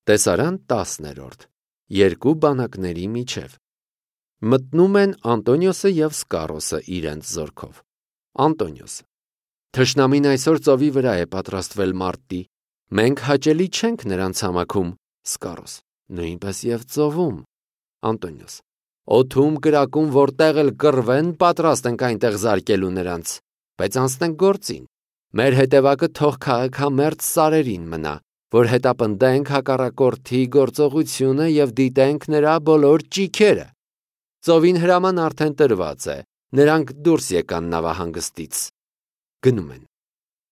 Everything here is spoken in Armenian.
Տեսարան 10-րդ. Երկու բանակների միջև։ Մտնում են Անտոնիոսը և Սկարոսը իրենց զորքով։ Անտոնիոս. Թշնամին այսօր ծովի վրա է պատրաստվել մարտի, մենք հաճելի չենք նրան ցամաքում։ Սկարոս. նույնպես և ծովում։ Անտոնիոս. օդում կրակում որտեղ էլ կռվեն, պատրաստ ենք այնտեղ զարկելու նրանց, բայց անցնենք գործին։ Մեր հետևակը թող քաղաքամերձ սարերին մնա, որ հետապնդենք հակառակորդի գործողությունը և դիտենք նրա բոլոր ճիգերը։ Ծովին հրաման արդեն տրված է, նրանք դուրս եկան նավահանգստից։ Գնում են։